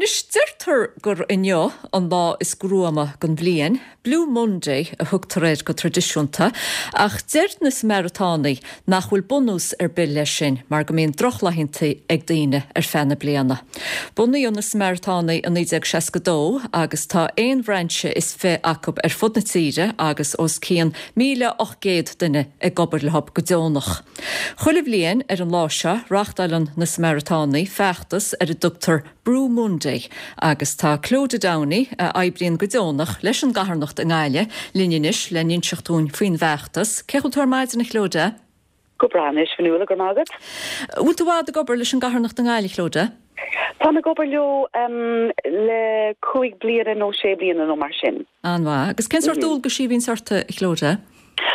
Anois, deirtear gur inniu an lá is gruama den bhliain, Blue Monday a thugtar air go traidisiúnta, ach deir na Samaritánaigh nach bhfuil bunús ar bith leis sin mar go mbíonn drochlaethanta ag daoine ar feadh na bliana. Bunaíodh na Samaritánaigh i 1962 agus tá aon bhrainse is fi acu ar fud na tíre agus os cionn 1,800 duine ag obair leo go deonach. Chuile bhliain ar an lá seo reáchtáileann na Samaritánaigh feachtas ar a dtugtar Brú Monday agus tá Clodagh Downey, a oibríonn go deonach leis an gcarthanacht i nGaillimh, linn anois le n-inseacht dúinn faoin bhfeachtas. Cén chaoi a bhfuil tú ar maidin, a Chlodagh? Go breá anois, a Fhionnuala, go raibh maith agat. Bhfuil tú i bhfad ag obair leis an gcarthanacht i nGaillimh, Clodagh? Táim ag obair leo le cúig bliana nó sé bliana nó mar sin. An-mhaith. Agus cén sórt dualgaisí a bhíonns ort, a Chlodagh?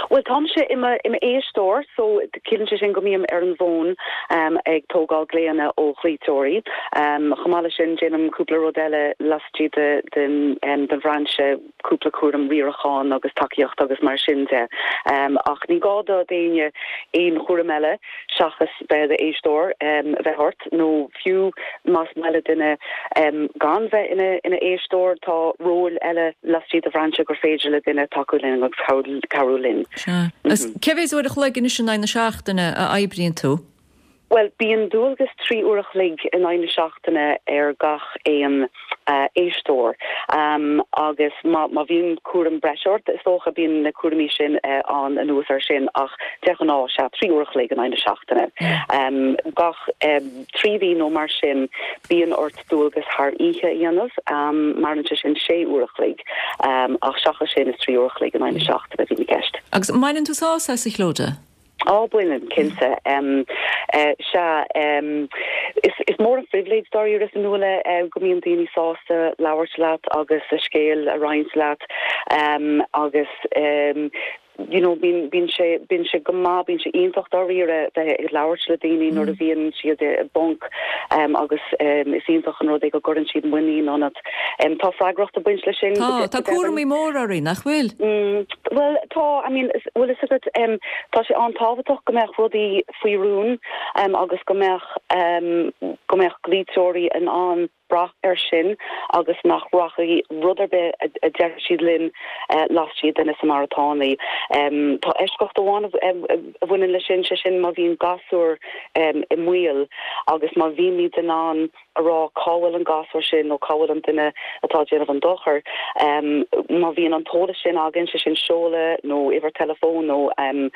Bhuel, táimse i m'éisteoir, so ciallaíonn sé sin go mbím ar an bhfón ag tógáil glaonna ó ghlaoiteoirí. Chomh maith leis sin, déanaim cúpla rud eile laistigh den bhrainse, cúpla cúram riaracháin agus tacaíocht agus mar sin de. Ach ní gá do d'éinne aon chúram eile seachas bheith i d'éisteoir bheith ort, nó fiú más maith le duine gan bheith ina éisteoir, tá róil eile laistigh de bhrainse gur féidir le duine tacú linn agus cabhrú linn. Sea. Agus cé mhéad uair a chloig anois in aghaidh na seachtaine a oibríonn tú? Bhuel, bíonn dualgas 3 uair a chloig in aghaidh na seachtaine ar gach aon éisteoir agus má bhíonn cúram breise ort, is dócha, bíonn na cúraimí sin ann anuas air sin ach de ghnáth, sea, 3 uair a chloig in aghaidh na seachtaine. Gach 3 mhí nó mar sin, bíonn ort dualgas thar oíche a dhéanamh, maireann sé sin 6 uair a chloig ach seachas sin is 3 uair a chloig in aghaidh na seachtaine a bhíonn i gceist. Agus an mbaineann tú sásamh as, a Chlodagh? Á, baineann, cinnte. Sea, is mór an phribhléid dáiríre, a Fhionnuala, go mbíonn daoine sásta labhairt leat agus a scéal a roinnt leat agus you know bíonn, bíonn sé, bíonn sé go maith, bíonn sé iontach dáiríre bheith ag labhairt le daoine nuair a bhíonn siad i bponc agus is iontach an rud é go gcuireann siad muinín ionat. Tá freagracht ag baint leis sin. Tá, tá cúramaí móra oraibh, nach bhfuil? Bhuel, tá, I mean, bhfuil fhios agat, tá sé an-tábhachtach go mbeadh rudaí faoi rún agus go mbeadh, go mbeadh glaoiteoirí in ann brath air sin agus nach rachaidh rud ar bith a déarfaidh siad linn laistigh de na Samaritánaigh. Tá eisceacht amháin a bhaineann leis sin, sé sin má bhíonn gasúr i mbaol agus má bhímid in ann a rá cá bhfuil an gasúr sin nó cá bhfuil an duine atá ag déanamh an dochair. Má bhíonn an t-eolas sin againn, sé sin seoladh nó uimhir teileafóin nó ainm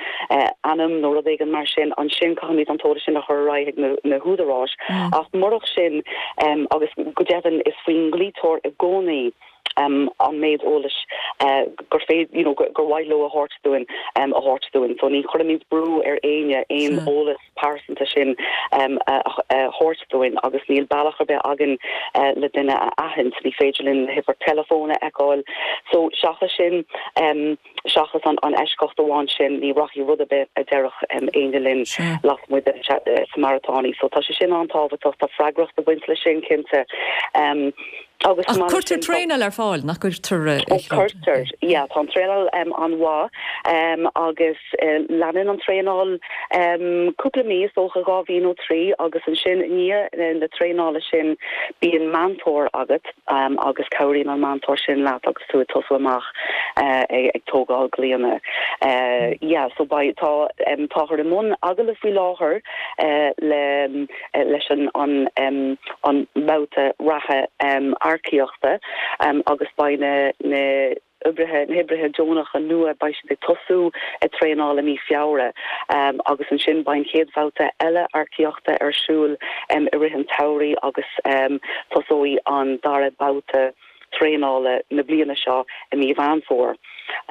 nó rud éigin mar sin, ansin caithfimid an t-eolas sin a chur ar aghaidh chuig na húdaráis. Ach murach sin, agus go deimhin is faoin nglaoiteoir i gcónaí an méid eolais gur féidir, you know, gur mhaith leo a thabhairt dúinn, a thabhairt dúinn. So ní chuirimid brú ar éinne aon eolas pearsanta sin a thabhairt dúinn agus níl bealach ar bith againn le duine a aithint, ní féidir linn na huimhir teileafóin a fheiceáil. So seachas sin, seachas an eisceacht amháin sin, ní rachaidh rud ar bith a déarfadh éinne linn lasmuigh de na Samaritánaigh. So tá sé sin an-tábhachtach, tá freagracht ag baint leis sin cinnte. Agus Ach cuirtear traenáil ar fáil, nach gcuirtear? Ó cuirtear, yeah, tá an traenáil an-mhaith agus leanann an traenáil cúpla mí, is dócha dhá mhí nó trí, agus ansin i ndiaidh na traenála sin bíonn meantóir agat agus cabhraíonn an meantóir sin leat agus tú ag tosú amach ag tógáil glaonna. Yeah, so beidh, tá, táthar i mbun agallamh faoi láthair le leis an an mbabhta reatha earcaíochta agus beidh na na oibrithe na hoibrithe deonacha nua beidh siad ag tosú ag traenáil i mí Feabhra agus ansin beidh an chéad bhabhta eile earcaíochta ar siúl i rith an tsamhraidh agus tosóidh an dara babhta traenála na bliana seo i mí Mheán Fómhair.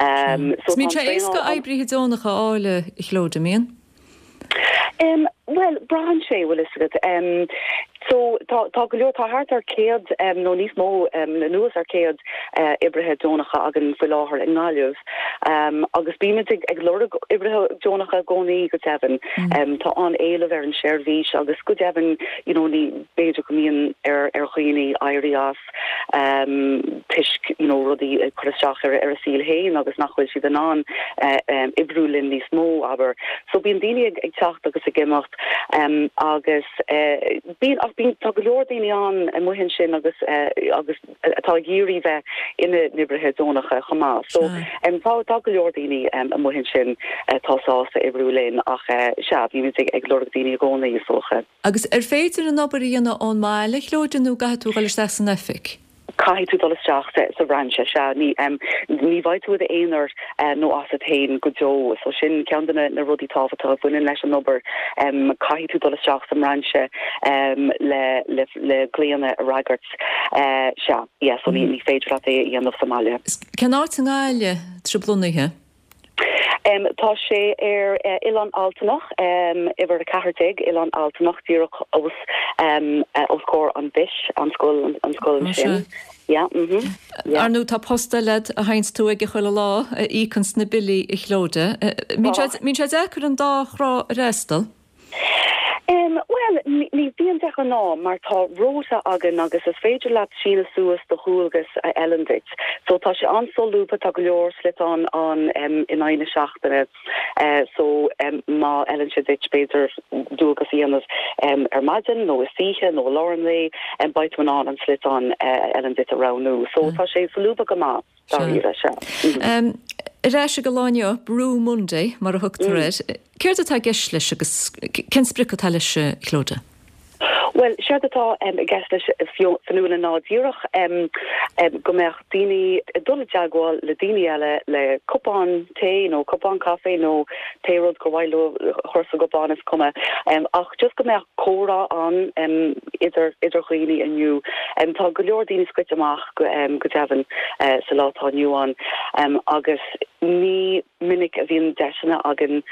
So tá an traenáil. Bíonn sé éasca oibrithe deonacha a fháil a Chlodagh, an mbíonn? Bhuel, braitheann sé, bhfuil fhios agat. So, tá, tá go leor, tá thart ar 100 nó níos mó, anuas ar 100. oibrithe deonacha againn faoi láthair i nGaillimh agus bímid ag lorg oibrithe deonacha i gcónaí, go deimhin. Tá an-éileamh ar an seirbhís agus go deimhin, you know, ní, b'fhéidir go mbíonn ar dhaoine éirí as toisc, you know, rudaí ag cur isteach ar a saol féin agus nach bhfuil siad in ann oibriú linn níos mó, abair. So bíonn daoine ag teacht agus ag imeacht agus bíonn, ach bíonn, tá go leor daoine ann amuigh ansin agus agus atá ag iarraidh bheith ina n-oibrithe deonacha chomh maith. So tá tá go leor daoine amuigh ansin atá sásta oibriú linn ach sea, bímid ag lorg daoine i gcónaí, is dócha. Agus ar féidir an obair a dhéanamh ón mbaile, a Chlóide, nó an gcaithfidh tú a dhul isteach san oifig? Caithfidh tú dul isteach sa bhrainse, sea. Ní, ní bheidh tú i d'aonar nó asat féin go deo. So sin ceann de na rudaí tábhachtacha a bhaineann leis an obair. Caithfidh tú dul isteach sa mbrainse le, le, le glaonna a fhreagairt. Sea, yeah, so ní, ní féidir leat é a dhéanamh sa mbaile. Cén áit i nGaillimh atá sibh lonnaithe? Tá sé ar Oileán Altanach, uimhir 14, Oileán Altanach, díreach os os comhair an BIS, an scoil, an scoil ansin. Yeah, mhm, yeah. Ar ndóigh tá post eile agat a théanns tú aige chuile lá, a íocanns na billí, a Chlóide. Mbíonn sé deacair an dá thrá a fhreastal? Bhuel, ní bhíonn de ghnáth mar tá rota againn agus is féidir leat síneadh suas do dhualgas a fheileann duit. So tá sé an-solúbtha, tá go leor sliotán ann in aghaidh na seachtaine. So má fheileann sé duit b'fhéidir dualgas a dhéanamh ar maidin nó istoíche nó i lár an lae, beidh tú in ann an sliotán a fheileann duit a roghnú. So tá sé solúbtha go maith. Dáiríre, sea. Ar ais ag an lá inniu, Brú Monday, mar a thugtar air. Céard atá i gceist leis agus cén sprioc atá leis, a Chlóda? Bhuel, séard atá i gceist leis, a Fionnuala, ná díreach go mbeadh daoine ag dul i dteagmháil le daoine eile le cupán tae nó cupán caife nó pé rud gur mhaith leo a chur sa gcupán, is cuma. Ach just go mbeadh comhrá ann idir idir dhaoine inniu. Tá go leor daoine scoite amach go deimhin sa lá atá inniu ann agus ní minic a bhíonn deiseanna againn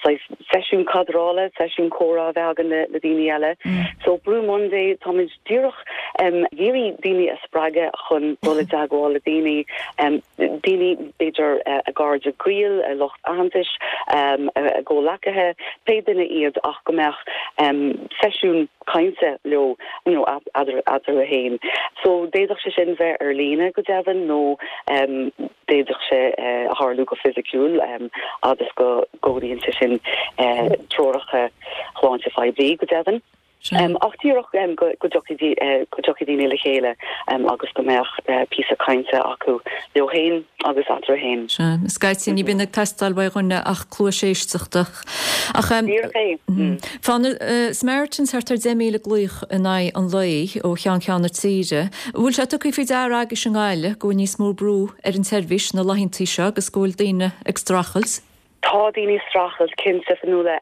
saghas seisiún cadrála, seisiún comhrá a bheith againn le daoine eile. So Brú Monday, táimid díreach ag iarraidh daoine a spreagadh chun dul i dteagmháil le daoine, daoine b'fhéidir a gcairde gaoil, a lucht aitheantais, a gcomhleacaithe, pé duine iad ach go mbeadh seisiún cainte leo you know eatarthu féin. So d'fhéadfadh sé sin bheith ar líne go deimhin nó d'fhéadfadh sé a tharlú go fisiciúil fhad is go gcomhlíonann sé sin treoracha shláinte phoiblí go deimhin. Ach díreach go dtiocfaidh go dtiocfaidh daoine le chéile agus go mbeadh píosa cainte acu leo féin agus eatarthu féin. Sea, scaití ní bhíonn ag teastáil uaidh dhuine ach cluais éisteachta. Ach Díreach é. Faigheann na Samaritans thart ar 10,000 glaoch in aghaidh an lae ó cheann ceann na tíre. An bhfuil sé tugtha faoi deara agaibhse i nGaillimh go bhfuil níos mó brú ar an tseirbhís na laethanta seo agus go bhfuil daoine ag streachailt? Tá daoine ag streachailt, cinnte, Fionnuala,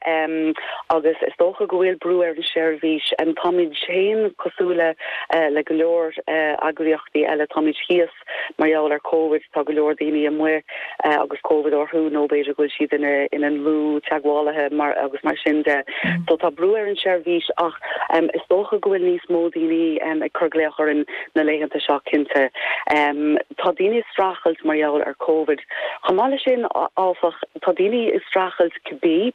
agus is dócha go bhfuil brú ar an seirbhís. Táimid féin cosúil le le go leor eagraíochtaí eile, táimid thíos mar gheall ar Covid, tá go leor daoine amuigh agus Covid orthu nó b'fhéidir go bhfuil siad ina ina ndlúth-teagmhálaithe mar agus mar sin de. So tá brú ar an seirbhís ach is dócha go bhfuil níos mó daoine ag cur glaoch orainn na laethanta seo, cinnte. Tá daoine ag streachailt mar gheall ar Covid. Chomh maith leis sin, áfach, tá daoine ag streachailt cibé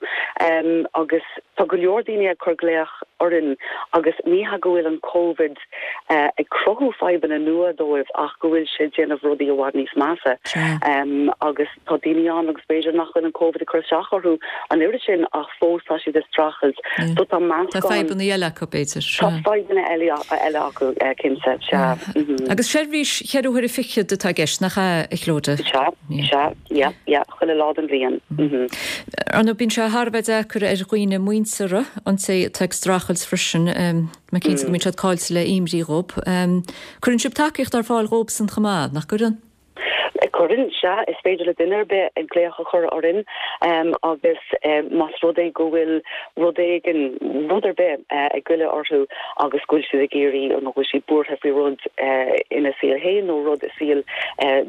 agus tá go leor daoine ag cur glaoch orainn agus ní hea go bhfuil an Covid ag cruthú fadhbanna nua dóibh ach go bhfuil sé ag déanamh rudaí i bhfad níos measa agus tá daoine ann agus b'fhéidir nach bhfuil an Covid ag cur isteach orthu an oiread sin ach fós tá siad ag streachailt. So tá meascán. Tá fadhbanna eile acu, b'fhéidir. Tá fadhbanna eile eile acu, cinnte, sea. Agus seirbhís cheithre huaire fichead atá i gceist, nach ea, a Chlóda? Sea, sea, yeah, yeah, chuile lá den bhliain. Ar ndóigh, bíonn sé thar a bheith deacair ar dhaoine muinteartha an té atá ag streachailt freisin, tá mé cinnte go mbíonn siad caillte le imní dhób. Cuireann sibh tacaíocht ar fáil dhóibhsan chomh maith, nach gcuireann? Cuireann, sea. Is féidir le duine ar bith glaoch a chur orainn agus más rud é go bhfuil rud éigin, rud ar bith ag goilleadh orthu agus go bhfuil siad ag iarraidh nó go bhfuil siad buartha faoi rud ina saol féin nó rud i saol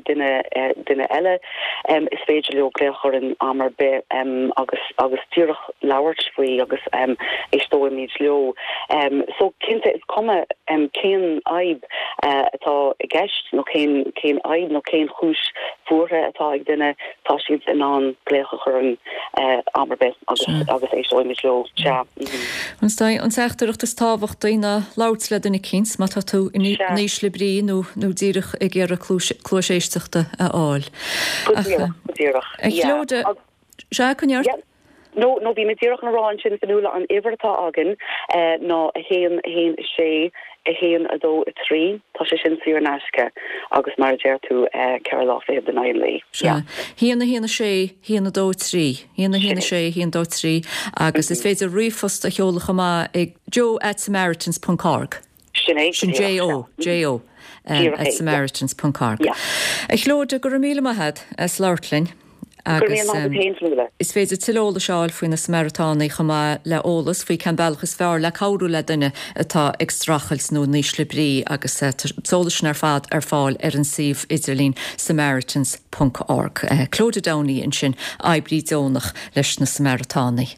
duine duine eile, is féidir leo glaoch orainn am ar bith agus agus díreach labhairt faoi agus éisteoimid leo. So cinnte is cuma cén fhadhb atá i gceist nó cén cén fhadhb nó cén chúis bhuartha atá ag duine, tá siad in ann glaoch a chur orainn am ar bith agus agus éisteoimid leo. Sea. Is é an teachtaireacht is tábhachtaí ná labhairt le duine eicínt má tá tú in ísle brí nó nó díreach ag iarraidh cluais éisteachta a fháil. Go díreach, go díreach. A Chlodagh, sea, coinnigh ort. No, no, bhí mé díreach chun a rá ansin, Fionnuala, an uimhir atá againn ná 1, 1, 6, 1, 2, 3. Tá sé sin saor in aisce agus mar a deir tú, 4 lá fichead in aghaidh an lae. Sea. 1, 1, 6, 1, 2, 3. 1, 1, 6, 1, 2, 3 agus is féidir ríomhphost a sheoladh chomh maith ag jo at samaritans ponc org. Sin é, Sin J-O, J-O, at samaritans ponc org. A Chlodagh, go raibh míle maith agat as labhairt linn. Agus is féidir tuilleadh eolais a fháil faoi na Samaritánaigh chomh maith le eolas faoi cén bealach is fearr le cabhrú le duine atá ag streachailt nó in ísle brí agus tá an t-eolas sin ar fad ar fáil ar an suíomh idirlín samaritans ponc org. Clodagh Downey ansin, oibrí deonach leis na Samaritánaigh.